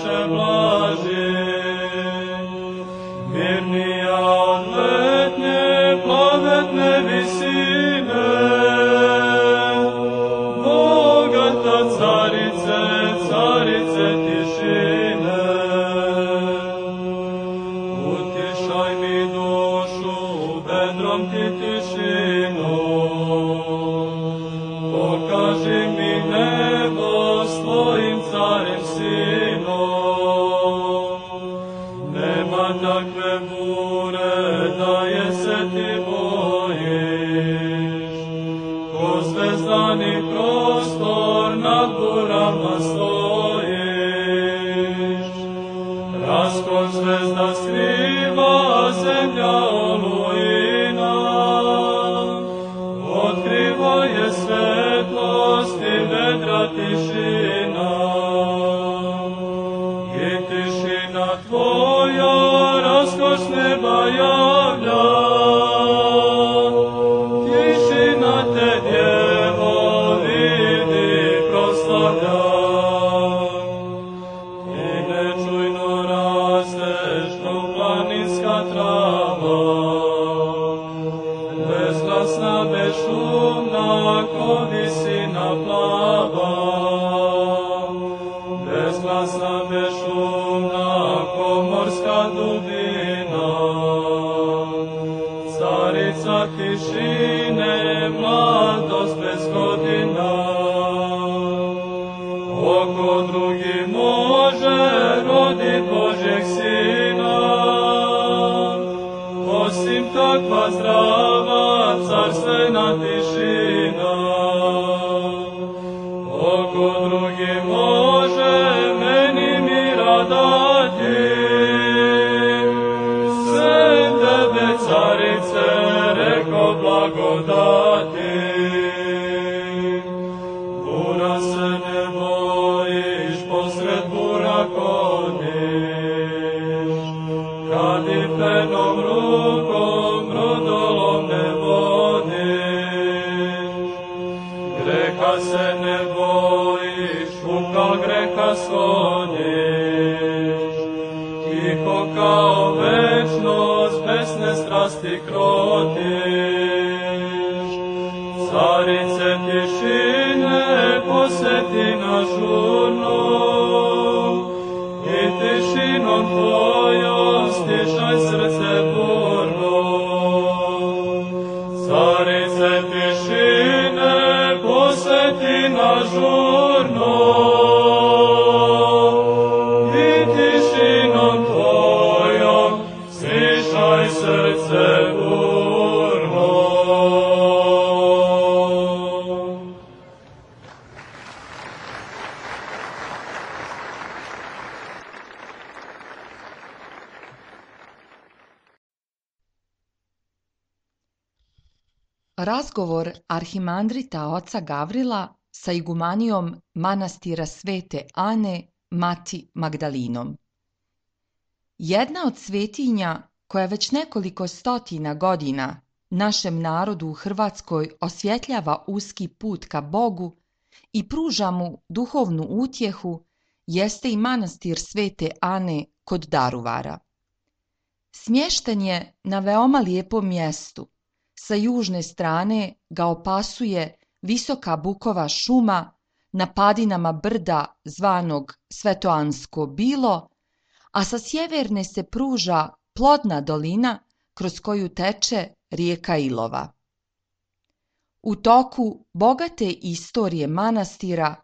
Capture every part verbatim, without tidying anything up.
više blaži, mirnija od letnje plavetne visine, bogata carice, carice tišine. Utišaj mi dušu, vedrom ti tišinu, pokaži mi nebo s tvojim carem sinom. Nema takve bure da je se ti bojiš, ko zvezdani prostor nad burama stojiš. Raskon zvezda skriva zemlja olujina, otkriva je svetlost i vedra tišina. I tišina tvoja raskoš neba javlja, tišina te djevo vidi proslavlja. I nečujno rasteš kao planinska trava, bezglasna, bezšumna, ko visina plava. Bezglasna, bezšumna, ko morska dubina. Carica tišine, mladost bez godina. Oko drugi može rodit Božjeg sina, osim takva zdrava carstvena tišina. Oko drugi može meni mira dati, sem tebe carice reko blagodati. Bura se ne bojiš, posred bura kodiš, kad i penom rukom brodolom ne vodiš. Greha se ne bojiš, kao greha shodiš, tiho kao večnost, besne strasti krotiš. Carice tišine, poseti nas žurno, i tišinom tvojom stišaj srce burno. Carice tišine, poseti nas žurno, i tišinom tvojom stišaj srce burno. Razgovor arhimandrita oca Gavrila sa igumanijom manastira Svete Ane, mati Magdalinom. Jedna od svetinja koja već nekoliko stotina godina našem narodu u Hrvatskoj osvjetljava uski put ka Bogu i pruža mu duhovnu utjehu jeste i manastir Svete Ane kod Daruvara. Smješten je na veoma lijepom mjestu. Sa južne strane ga opasuje visoka bukova šuma na padinama brda zvanog Svetoansko bilo, a sa sjeverne se pruža plodna dolina kroz koju teče rijeka Ilova. U toku bogate istorije manastira,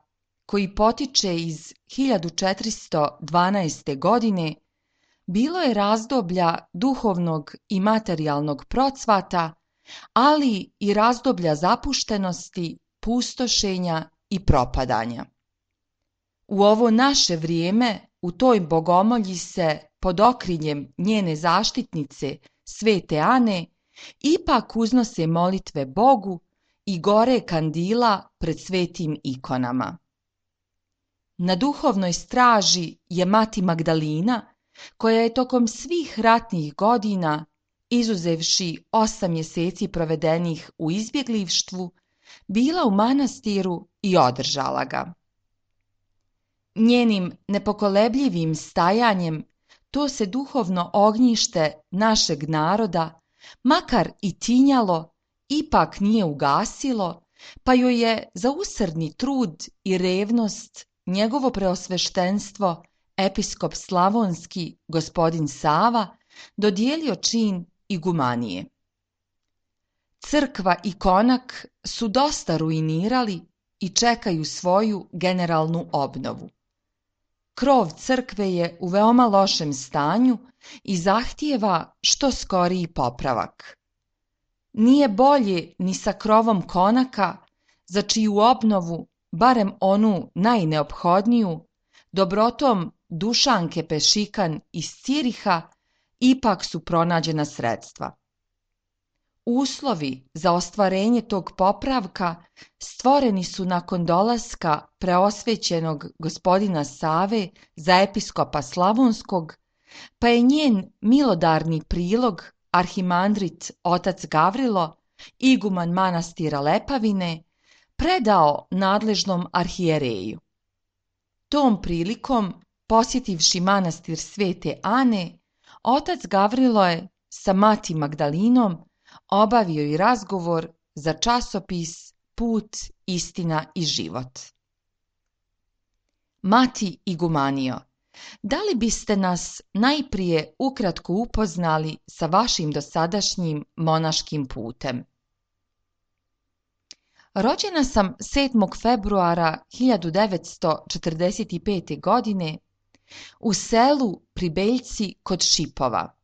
koji potiče iz hiljadu četiristo dvanaeste. godine, bilo je razdoblja duhovnog i materijalnog procvata, ali i razdoblja zapuštenosti, pustošenja i propadanja. U ovo naše vrijeme u toj bogomolji se pod okriljem njene zaštitnice Svete Ane ipak uznose molitve Bogu i gore kandila pred svetim ikonama. Na duhovnoj straži je mati Magdalina, koja je tokom svih ratnih godina, izuzevši osam mjeseci provedenih u izbjeglištvu, bila u manastiru i održala ga. njenim nepokolebljivim stajanjem to se duhovno ognjište našeg naroda, makar i tinjalo, ipak nije ugasilo, pa joj je za usrdni trud i revnost njegovo preosveštenstvo, episkop slavonski gospodin Sava, dodijelio čin igumanije. Crkva i konak su dosta ruinirali i čekaju svoju generalnu obnovu. Krov crkve je u veoma lošem stanju i zahtijeva što skoriji popravak. Nije bolje ni sa krovom konaka, za čiju obnovu, barem onu najneophodniju, dobrotom Dušanke Pešikan iz Ciriha, ipak su pronađena sredstva. Uslovi za ostvarenje tog popravka stvoreni su nakon dolaska preosvećenog gospodina Save za episkopa Slavonskog, pa je njen milodarni prilog arhimandrit otac Gavrilo, iguman manastira Lepavine, predao nadležnom arhijereju. Tom prilikom, posjetivši manastir Svete Ane, otac Gavrilo je sa mati Magdalinom obavio i razgovor za časopis Put, istina i život. Mati igumanio, da li biste nas najprije ukratko upoznali sa vašim dosadašnjim monaškim putem? Rođena sam sedmog februara hiljadu devetsto četrdeset pete. godine u selu pri Beljci kod Šipova.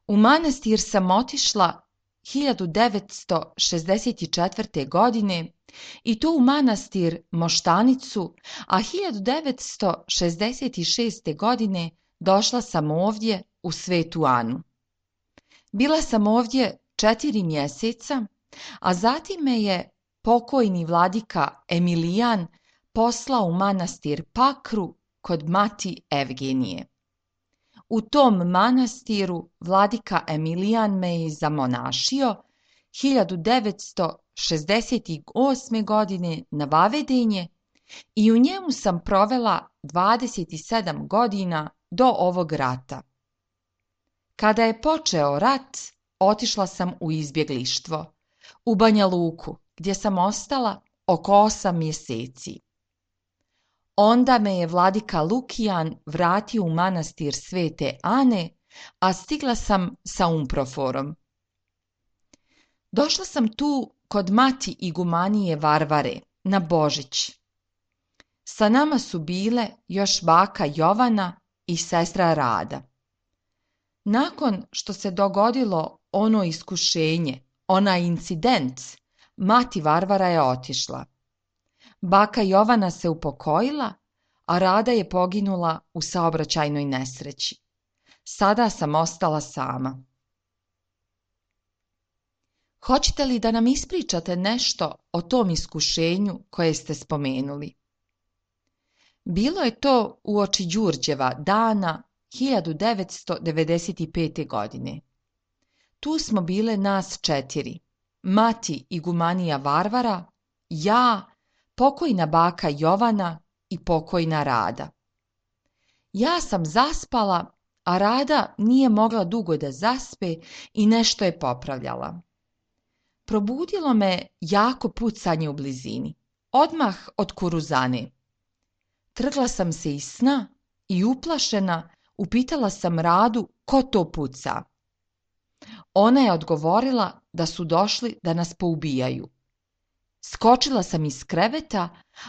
U manastir sam otišla hiljadu devetsto šezdeset četvrte. godine i to u manastir Moštanicu, a hiljadu devetsto šezdeset šeste. godine došla sam ovdje u Svetu Anu. Bila sam ovdje četiri mjeseca, a zatim me je pokojni vladika Emilijan poslao u manastir Pakru kod mati Evgenije. U tom manastiru vladika Emilijan me je zamonašio hiljadu devetsto šezdeset osme. godine na Vavedenje i u njemu sam provela dvadeset sedam godina do ovog rata. Kada je počeo rat, otišla sam u izbjeglištvo, u Banja Luku, gdje sam ostala oko osam mjeseci. Onda me je vladika Lukijan vratio u manastir Svete Ane, a stigla sam sa umproforom. Došla sam tu kod mati igumanije Varvare, na Božić. Sa nama su bile još baka Jovana i sestra Rada. Nakon što se dogodilo ono iskušenje, onaj incident, mati Varvara je otišla. Baka Jovana se upokojila, a Rada je poginula u saobraćajnoj nesreći. Sada sam ostala sama. Hoćete li da nam ispričate nešto o tom iskušenju koje ste spomenuli? Bilo je to uoči Đurđeva dana hiljadu devetsto devedeset pete. godine. Tu smo bile nas četiri. Mati igumanija Varvara, ja, pokojna baka Jovana i pokojna Rada. Ja sam zaspala, a Rada nije mogla dugo da zaspe i nešto je popravljala. Probudilo me jako pucanje u blizini, odmah od Kuruzane. Trgla sam se iz sna i uplašena upitala sam Radu ko to puca. Ona je odgovorila da su došli da nas poubijaju. Skočila sam iz kreveta,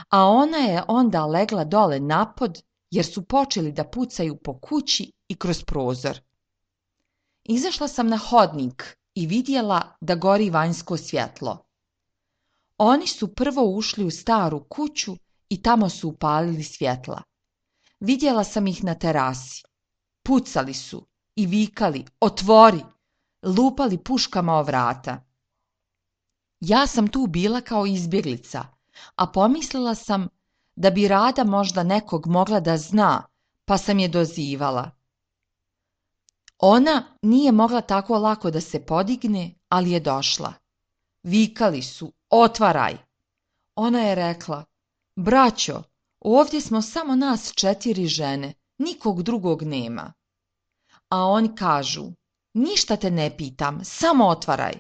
a ona je onda legla dole napod jer su počeli da pucaju po kući i kroz prozor. Izašla sam na hodnik i vidjela da gori vanjsko svjetlo. Oni su prvo ušli u staru kuću i tamo su upalili svjetla. Vidjela sam ih na terasi. Pucali su i vikali otvori, lupali puškama o vrata. Ja sam tu bila kao izbjeglica, a pomislila sam da bi Rada možda nekog mogla da zna, pa sam je dozivala. Ona nije mogla tako lako da se podigne, ali je došla. Vikali su, otvaraj. Ona je rekla, braćo, Ovdje smo samo nas četiri žene, nikog drugog nema. A oni kažu, ništa te ne pitam, samo otvaraj.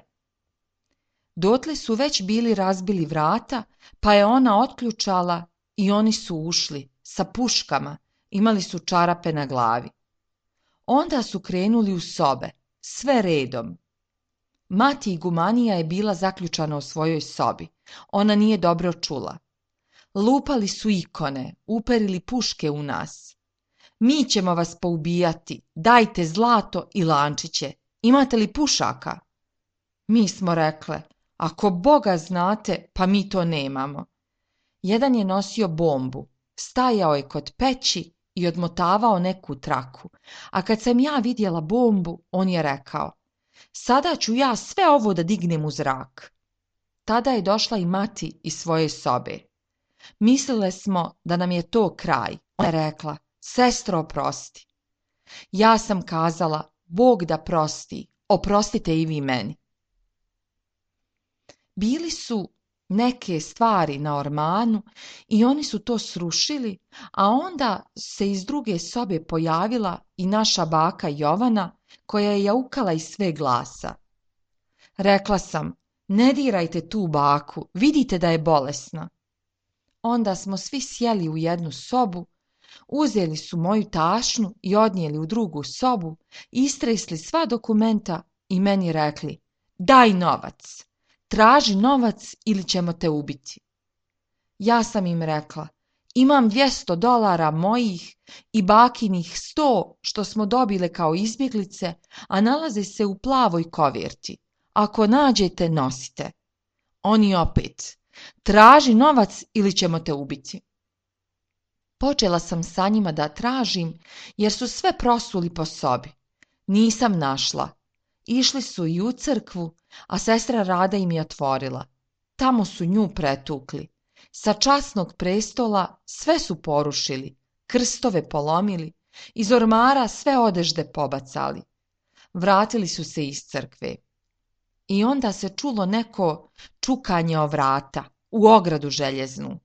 Dotle su već bili razbili vrata, pa je ona otključala i oni su ušli, sa puškama, imali su čarape na glavi. Onda su krenuli u sobe, sve redom. Mati igumanija je bila zaključana u svojoj sobi, ona nije dobro čula. Lupali su ikone, uperili puške u nas. Mi ćemo vas poubijati, dajte zlato i lančiće, imate li pušaka? Mi smo rekle, ako Boga znate, pa mi to nemamo. Jedan je nosio bombu, stajao je kod peći i odmotavao neku traku, a kad sam ja vidjela bombu, on je rekao, sada ću ja sve ovo da dignem u zrak. Tada je došla i mati iz svoje sobe. Mislile smo da nam je to kraj. Ona je rekla, sestro, oprosti. Ja sam kazala, Bog da prosti, oprostite i vi meni. Bili su neke stvari na ormanu i oni su to srušili, a onda se iz druge sobe pojavila i naša baka Jovana, koja je jaukala iz sve glasa. Rekla sam, ne dirajte tu baku, vidite da je bolesna. Onda smo svi sjeli u jednu sobu, uzeli su moju tašnu i odnijeli u drugu sobu, istresli sva dokumenta i meni rekli, daj novac, traži novac ili ćemo te ubiti. Ja sam im rekla, imam dvjesto dolara mojih i bakinih sto što smo dobile kao izbjeglice, a nalaze se u plavoj koverti. Ako nađete, nosite. Oni opet, traži novac ili ćemo te ubiti. Počela sam sa njima da tražim, jer su sve prosuli po sobi. Nisam našla. Išli su i u crkvu, a sestra Rada im je otvorila. Tamo su nju pretukli. Sa časnog prestola sve su porušili, krstove polomili, iz ormara sve odežde pobacali. Vratili su se iz crkve. I onda se čulo neko čukanje o vrata, u ogradu željeznu.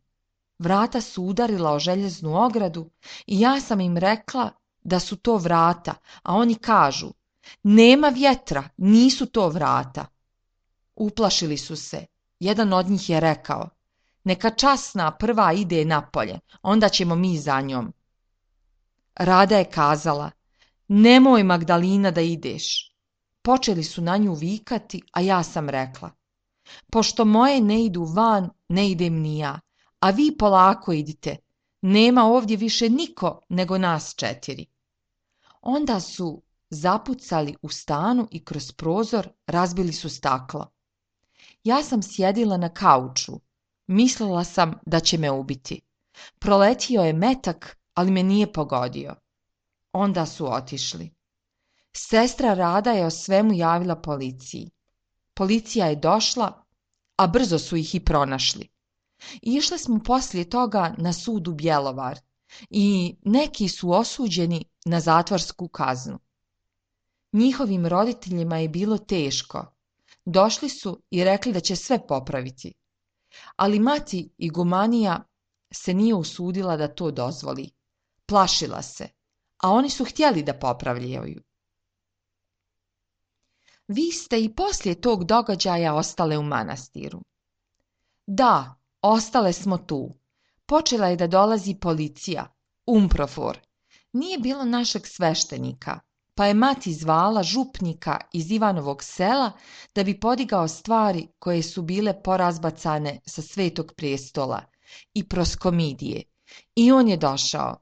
Vrata su udarila o željeznu ogradu i ja sam im rekla da su to vrata, a oni kažu, nema vjetra, nisu to vrata. Uplašili su se. Jedan od njih je rekao, neka časna prva ide napolje, onda ćemo mi za njom. Rada je kazala, nemoj Magdalina da ideš. Počeli su na nju vikati, a ja sam rekla, pošto moje ne idu van, ne idem ni ja, a vi polako idite, nema ovdje više niko nego nas četiri. Onda su zapucali u stanu i kroz prozor razbili su staklo. Ja sam sjedila na kauču, mislila sam da će me ubiti. Proletio je metak, ali me nije pogodio. Onda su otišli. Sestra Rada je o svemu javila policiji. Policija je došla, a brzo su ih i pronašli. Išli smo poslije toga na sud u Bjelovar i neki su osuđeni na zatvorsku kaznu. Njihovim roditeljima je bilo teško. Došli su i rekli da će sve popraviti. Ali mati igumanija se nije usudila da to dozvoli. Plašila se, a oni su htjeli da popravljaju. Vi ste i poslije tog događaja ostale u manastiru. Da, ostale smo tu. Počela je da dolazi policija, umprofor. Nije bilo našeg sveštenika, pa je mati zvala župnika iz Ivanovog sela da bi podigao stvari koje su bile porazbacane sa Svetog prestola i proskomidije. I on je došao.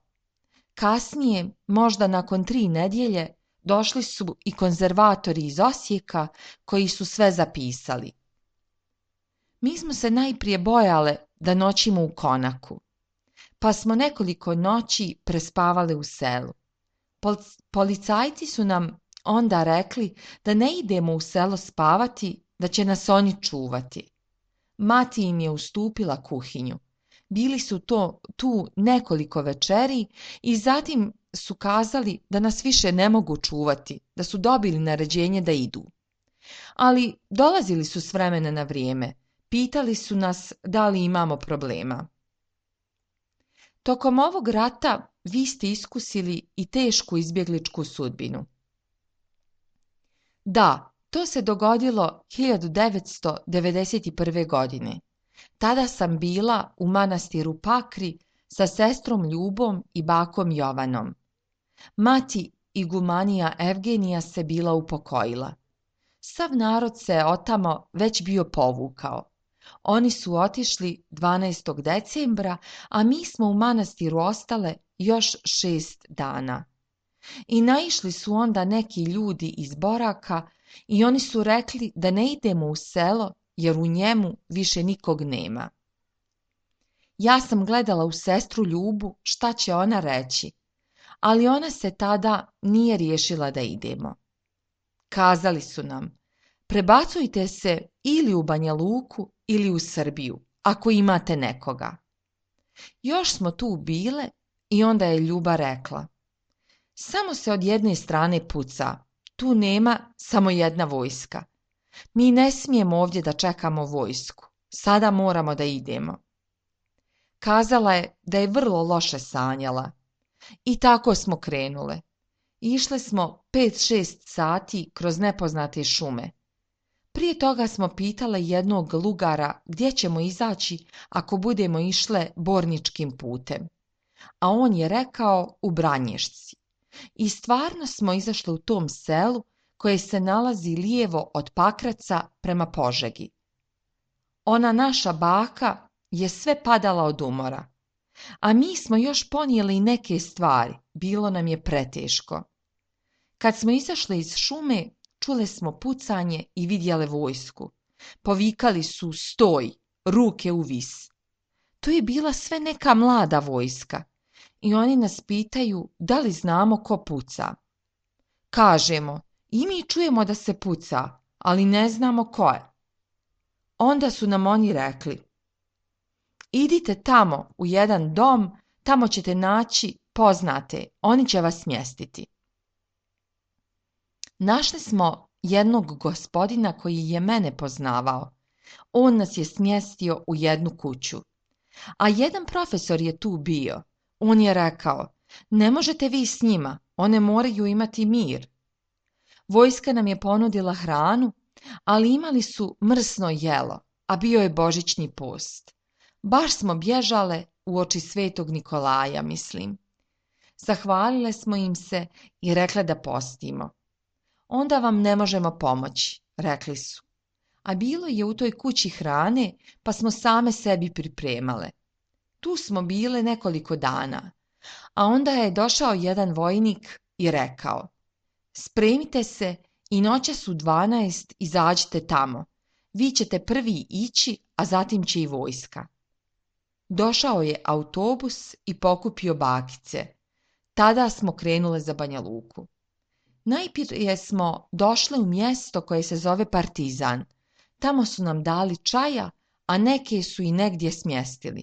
Kasnije, možda nakon tri nedjelje, došli su i konzervatori iz Osijeka koji su sve zapisali. Mi smo se najprije bojale da noćimo u konaku, pa smo nekoliko noći prespavali u selu. Policajci su nam onda rekli da ne idemo u selo spavati, da će nas oni čuvati. Mati im je ustupila kuhinju. Bili su to tu nekoliko večeri i zatim su kazali da nas više ne mogu čuvati, da su dobili naređenje da idu. Ali dolazili su s vremena na vrijeme, pitali su nas da li imamo problema. Tokom ovog rata vi ste iskusili i tešku izbjegličku sudbinu. Da, to se dogodilo hiljadu devetsto devedeset prve. godine. Tada sam bila u manastiru Pakri sa sestrom Ljubom i bakom Jovanom. Mati igumanija Evgenija se bila upokojila. Sav narod se otamo već bio povukao. Oni su otišli dvanaestog decembra, a mi smo u manastiru ostale još šest dana. I naišli su onda neki ljudi iz Boraka i oni su rekli da ne idemo u selo jer u njemu više nikog nema. Ja sam gledala u sestru Ljubu šta će ona reći, ali ona se tada nije riješila da idemo. Kazali su nam, prebacujte se ili u Banja Luku ili u Srbiju, ako imate nekoga. Još smo tu bile i onda je Ljuba rekla, samo se od jedne strane puca, tu nema samo jedna vojska. Mi ne smijemo ovdje da čekamo vojsku, sada moramo da idemo. Kazala je da je vrlo loše sanjala. I tako smo krenule. Išle smo pet šest sati kroz nepoznate šume. Prije toga smo pitale jednog lugara gdje ćemo izaći ako budemo išle borničkim putem. A on je rekao u Branješci. I stvarno smo izašle u tom selu koje se nalazi lijevo od Pakraca prema Požegi. Ona naša baka je sve padala od umora. A mi smo još ponijeli neke stvari, bilo nam je preteško. Kad smo izašle iz šume, čule smo pucanje i vidjele vojsku. Povikali su stoj, ruke u vis. To je bila sve neka mlada vojska i oni nas pitaju da li znamo ko puca. Kažemo, i mi čujemo da se puca, ali ne znamo ko je. Onda su nam oni rekli, idite tamo u jedan dom, tamo ćete naći poznate, oni će vas smjestiti. Našli smo jednog gospodina koji je mene poznavao. On nas je smjestio u jednu kuću. A jedan profesor je tu bio. On je rekao, ne možete vi s njima, one moraju imati mir. Vojska nam je ponudila hranu, ali imali su mrsno jelo, a bio je božićni post. Baš smo bježale uoči svetog Nikolaja, mislim. Zahvalile smo im se i rekle da postimo. Onda vam ne možemo pomoći, rekli su. A bilo je u toj kući hrane, pa smo same sebi pripremale. Tu smo bile nekoliko dana, a onda je došao jedan vojnik i rekao, spremite se i noćas u dvanaest izađite tamo. Vi ćete prvi ići, a zatim će i vojska. Došao je autobus i pokupio bakice. Tada smo krenule za Banja Luku. Najprije smo došle u mjesto koje se zove Partizan. Tamo su nam dali čaja, a neke su i negdje smjestili.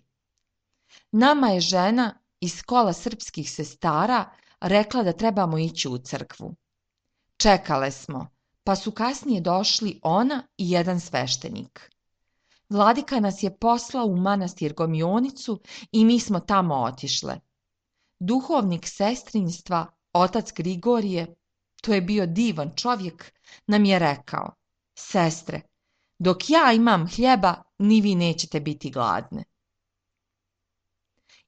Nama je žena iz kola srpskih sestara rekla da trebamo ići u crkvu. Čekale smo, pa su kasnije došli ona i jedan sveštenik. Vladika nas je poslao u manastir Gomionicu i mi smo tamo otišle. Duhovnik sestrinstva, otac Grigorije, to je bio divan čovjek, nam je rekao, sestre, dok ja imam hljeba, ni vi nećete biti gladne.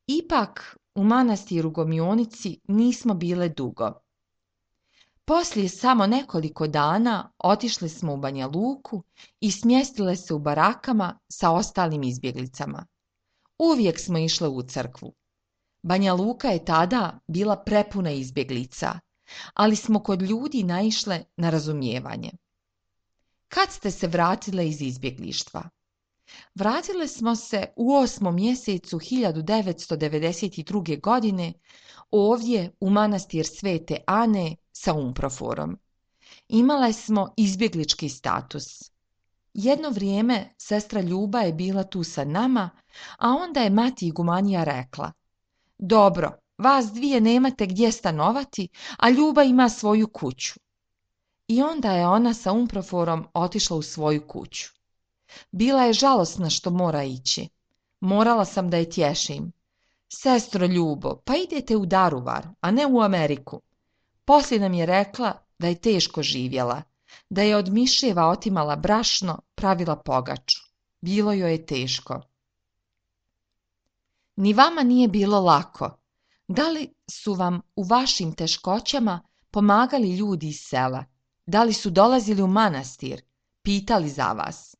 Ipak u manastiru Gomionici nismo bile dugo. Poslije samo nekoliko dana otišli smo u Banja Luku i smjestile se u barakama sa ostalim izbjeglicama. Uvijek smo išle u crkvu. Banja Luka je tada bila prepuna izbjeglica, ali smo kod ljudi naišle na razumijevanje. Kad ste se vratile iz izbjeglištva? Vratile smo se u osmom mjesecu hiljadu devetsto devedeset druge. godine ovdje u manastir Svete Ane sa umproforom. Imale smo izbjeglički status. Jedno vrijeme sestra Ljuba je bila tu sa nama, a onda je mati igumanija rekla, dobro, vas dvije nemate gdje stanovati, a Ljuba ima svoju kuću. I onda je ona sa umproforom otišla u svoju kuću. Bila je žalosna što mora ići. Morala sam da je tješim. Sestro Ljubo, pa idete u Daruvar, a ne u Ameriku. Poslije nam je rekla da je teško živjela, da je od miševa otimala brašno, pravila pogaču. Bilo joj je teško. Ni vama nije bilo lako. Da li su vam u vašim teškoćama pomagali ljudi iz sela? Da li su dolazili u manastir, pitali za vas?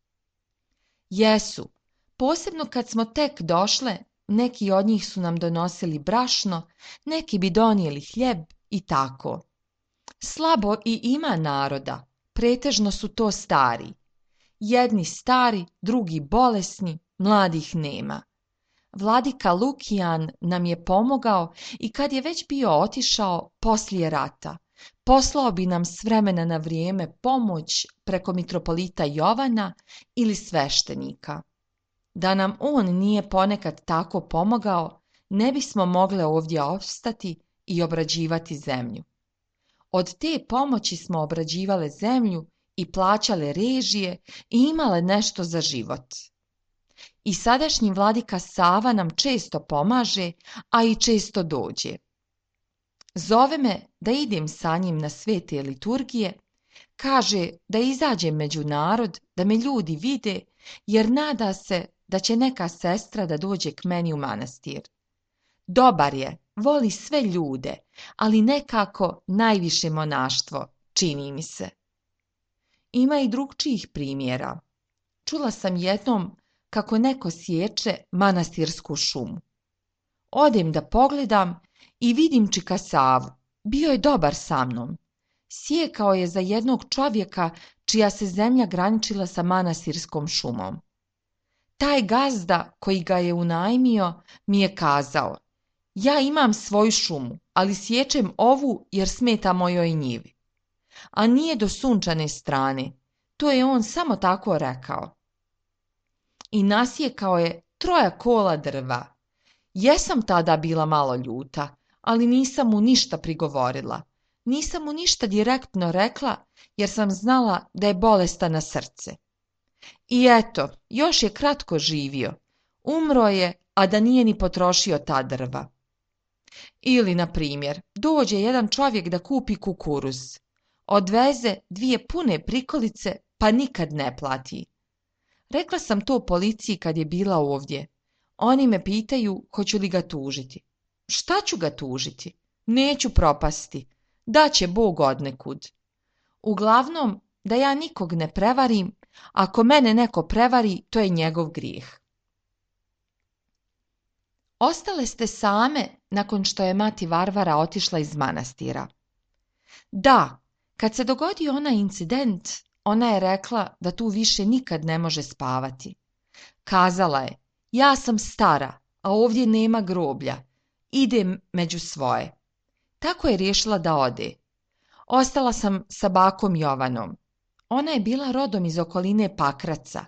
Jesu, posebno kad smo tek došle, neki od njih su nam donosili brašno, neki bi donijeli hljeb i tako. Slabo i ima naroda, pretežno su to stari. Jedni stari, drugi bolesni, mladih nema. Vladika Lukijan nam je pomogao i kad je već bio otišao poslije rata, poslao bi nam s vremena na vrijeme pomoć preko mitropolita Jovana ili sveštenika. Da nam on nije ponekad tako pomogao, ne bismo mogle ovdje opstati i obrađivati zemlju. Od te pomoći smo obrađivale zemlju i plaćale režije i imale nešto za život. I sadašnji vladika Sava nam često pomaže, a i često dođe. Zove me da idem sa njim na svete liturgije, kaže da izađem među narod, da me ljudi vide, jer nada se da će neka sestra da dođe k meni u manastir. Dobar je, voli sve ljude, ali nekako najviše monaštvo, čini mi se. Ima i drugčijih primjera. Čula sam jednom kako neko sječe manastirsku šumu. Odem da pogledam i vidim čika Savu. Bio je dobar sa mnom. Sjekao je za jednog čovjeka čija se zemlja graničila sa manastirskom šumom. Taj gazda koji ga je unajmio mi je kazao: ja imam svoju šumu, ali sječem ovu jer smeta mojoj njivi. A nije do sunčane strane, to je on samo tako rekao. I nasjekao je troja kola drva. Jesam tada bila malo ljuta, ali nisam mu ništa prigovorila. Nisam mu ništa direktno rekla, jer sam znala da je bolestan na srce. I eto, još je kratko živio. Umro je, a da nije ni potrošio ta drva. Ili, na primjer, dođe jedan čovjek da kupi kukuruz. Odveze dvije pune prikolice, pa nikad ne plati. Rekla sam to policiji kad je bila ovdje. Oni me pitaju hoću li ga tužiti. Šta ću ga tužiti? Neću propasti. Daće Bog odnekud. Uglavnom, da ja nikog ne prevarim, ako mene neko prevari, to je njegov grijeh. Ostale ste same nakon što je mati Varvara otišla iz manastira. Da, kad se dogodio onaj incident, ona je rekla da tu više nikad ne može spavati. Kazala je: ja sam stara, a ovdje nema groblja. Idem među svoje. Tako je riješila da ode. Ostala sam sa bakom Jovanom. Ona je bila rodom iz okoline Pakraca,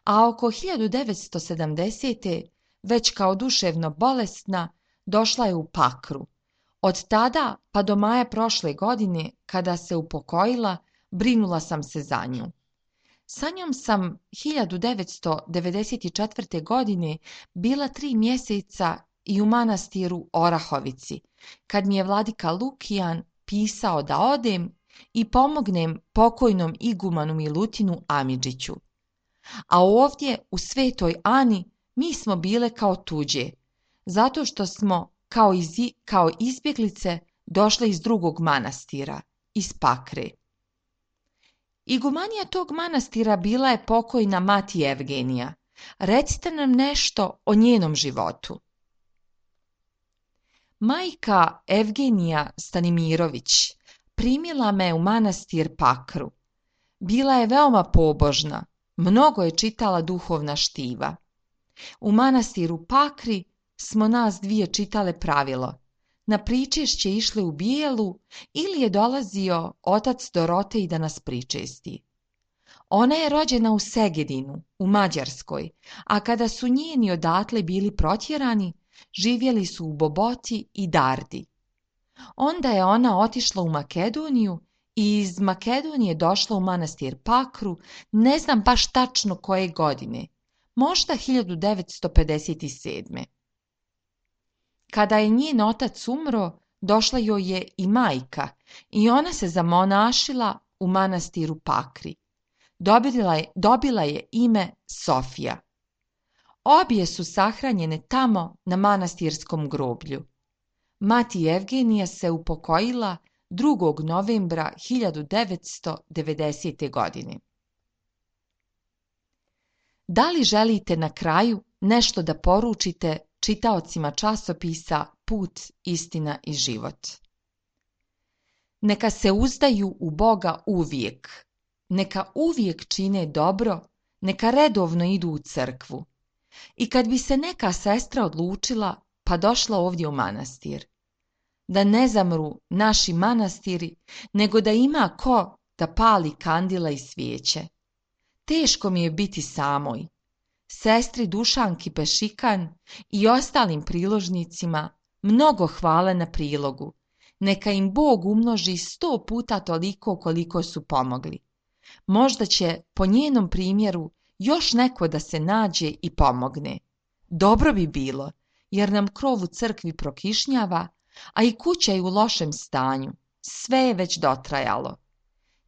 a oko hiljadu devetsto sedamdesete već kao duševno bolesna došla je u Pakru. Od tada pa do maja prošle godine, kada se upokojila, brinula sam se za nju. Sa njom sam hiljadu devetsto devedeset četvrte. godine bila tri mjeseca i u manastiru Orahovici, kad mi je vladika Lukijan pisao da odem i pomognem pokojnom igumanu Milutinu Amidžiću. A ovdje u Svetoj Ani mi smo bile kao tuđe, zato što smo kao, iz, kao izbjeglice došle iz drugog manastira, iz Pakre. Igumanija tog manastira bila je pokojna mati Evgenija. Recite nam nešto o njenom životu. Majka Evgenija Stanimirović primila me u manastir Pakru. Bila je veoma pobožna, mnogo je čitala duhovna štiva. U manastiru Pakri smo nas dvije čitale pravilo: na pričešće išle u bijelu ili je dolazio otac Dorotej da nas pričesti. Ona je rođena u Segedinu, u Mađarskoj, a kada su njeni odatle bili protjerani, živjeli su u Boboti i Dardi. Onda je ona otišla u Makedoniju i iz Makedonije došla u manastir Pakru, ne znam baš tačno koje godine, možda hiljadu devetsto pedeset sedme. Kada je njen otac umro, došla joj je i majka i ona se zamonašila u manastiru Pakri. Dobila je, dobila je ime Sofija. Obje su sahranjene tamo na manastirskom groblju. Mati Evgenija se upokojila drugog novembra hiljadu devetsto devedesete. godine. Da li želite na kraju nešto da poručite čitaocima časopisa Put, istina i život? Neka se uzdaju u Boga uvijek, neka uvijek čine dobro, neka redovno idu u crkvu. I kad bi se neka sestra odlučila pa došla ovdje u manastir, da ne zamru naši manastiri, nego da ima ko da pali kandila i svijeće. Teško mi je biti samoj. Sestri Dušanki Pešikan i ostalim priložnicima mnogo hvala na prilogu. Neka im Bog umnoži sto puta toliko koliko su pomogli. Možda će po njenom primjeru još neko da se nađe i pomogne. Dobro bi bilo, jer nam krov u crkvi prokišnjava, a i kuća je u lošem stanju. Sve je već dotrajalo.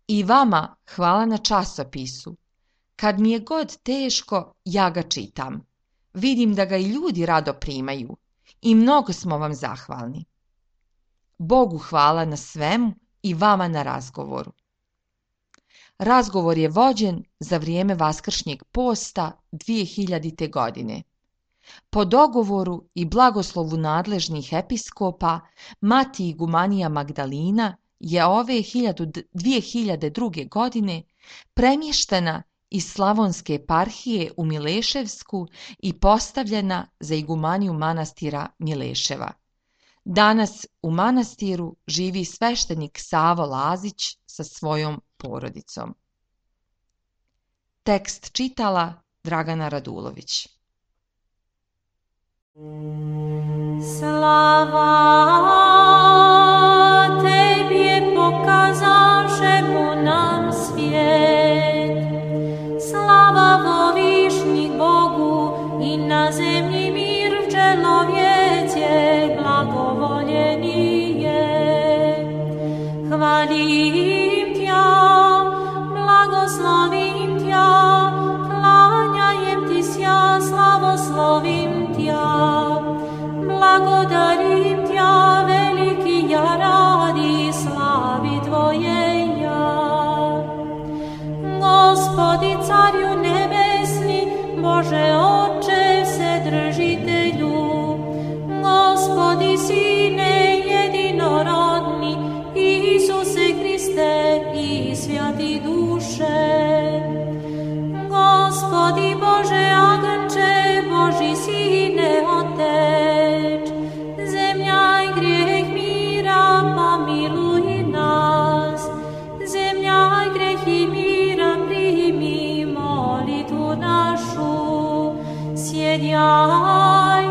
I vama hvala na časopisu. Kad mi je god teško, ja ga čitam. Vidim da ga i ljudi rado primaju i mnogo smo vam zahvalni. Bogu hvala na svemu i vama na razgovoru. Razgovor je vođen za vrijeme Vaskršnjeg posta dvije hiljadite. godine. Po dogovoru i blagoslovu nadležnih episkopa, mati igumanija Magdalina je ove dvije hiljade druge. godine premještena iz Slavonske eparhije u Mileševsku i postavljena za igumaniju manastira Mileševa. Danas u manastiru živi sveštenik Savo Lazić sa svojom porodicom. Tekst čitala Dragana Radulović. Slava tebi je pokazavšemu nam svijet. Slava vovišnjih Bogu i na zemlji mir čelovjece blagovoljeni je. Hvalim tja, blagoslovim tja, klanjajem ti sja, slavoslovim tja. Благодарим Тя, велики я ради слави Твоей я. Господи, Царю Небесни, Боже Отче Вседržitelju, Господи, Sine jedinorodni, Isuse Hriste i Svjati duše. Gospodi Bože Aganče, Boži Sine Otec, zemlja i grijeh mira, pomiluj nas. Zemlja i grijeh i mira, primi molitvu našu. Sjedjaj,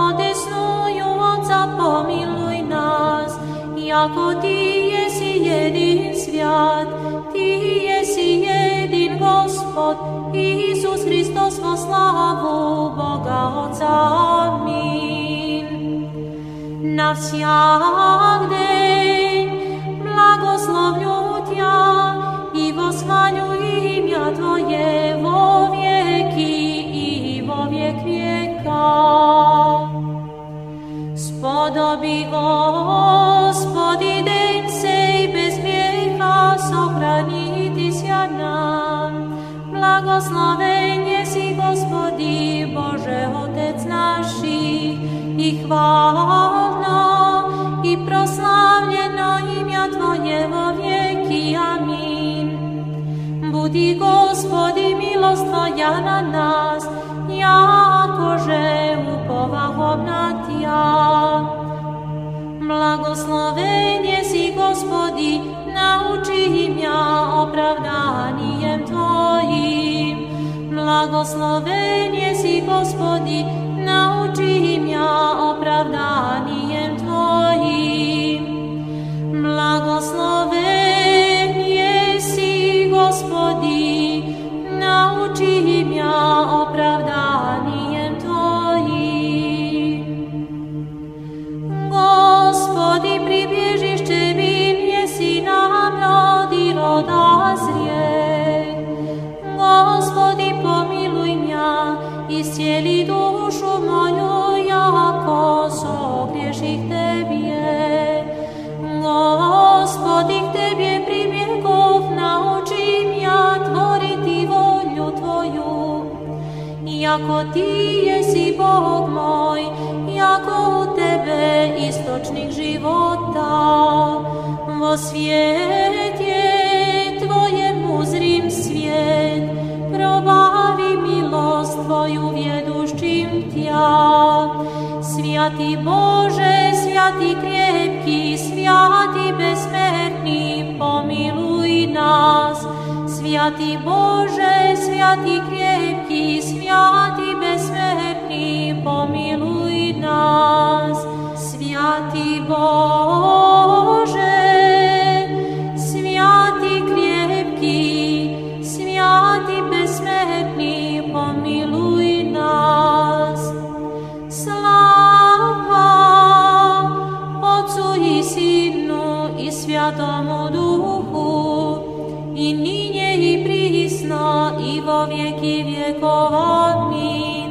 odesnuju Otca, pomiluj nas. Jako Ti jesi jedin svjat, Ti jesi jedin Gospod, Isus Hristos vo slavu Boga Otca. Amin. Na всяк день благословлю Тя и восхвалю имя Твое во веки и во век века. Spodobi, Gospodi, den sej bez grijeha sохранiti sja nam. Blagosloven jesi, Gospodi, Bože Otec naši, i hvalno i proslavljeno imja Tvoje vo vijeki. Amin. Budi, Gospodi, milost Tvoja na nas, jakože upovahom na Tja. Blagosloven jesi, Gospodi, nauči imja opravdanijem Tvojim. Blagosloven jesi, Gospodi, nauči imja opravdanijem Tvojim. Blagosloven jesi, Gospodi, nauči imja opravdanijem Tvojim. usjeli dušu moju, jako sogriješih Tebje. Gospodi, k Tebje pribjegov, naučim ja tvoriti volju Tvoju. Jako Ti jesi Bog moj, jako u Tebe istočnik života. Vo svijet je Tvojem uzrim svijet, probavi milost Tvoju vjeduščim Tja. Svjati Bože, svjati krepki, svjati besmrtni, pomiluj nas. Svjati Bože, svjati krepki, svjati besmrtni, pomiluj nas. Svjati Bože, svjati krepki, svjati besmrtni, pomiluj nas. Slava Otcu i Sinu i Svjatomu Duhu, i ninje i prisno i vo vjeki vjekov. Amin.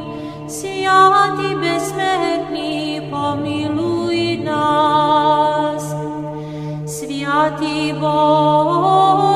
Svjati besmrtni, pomiluj nas. Svjati Bože,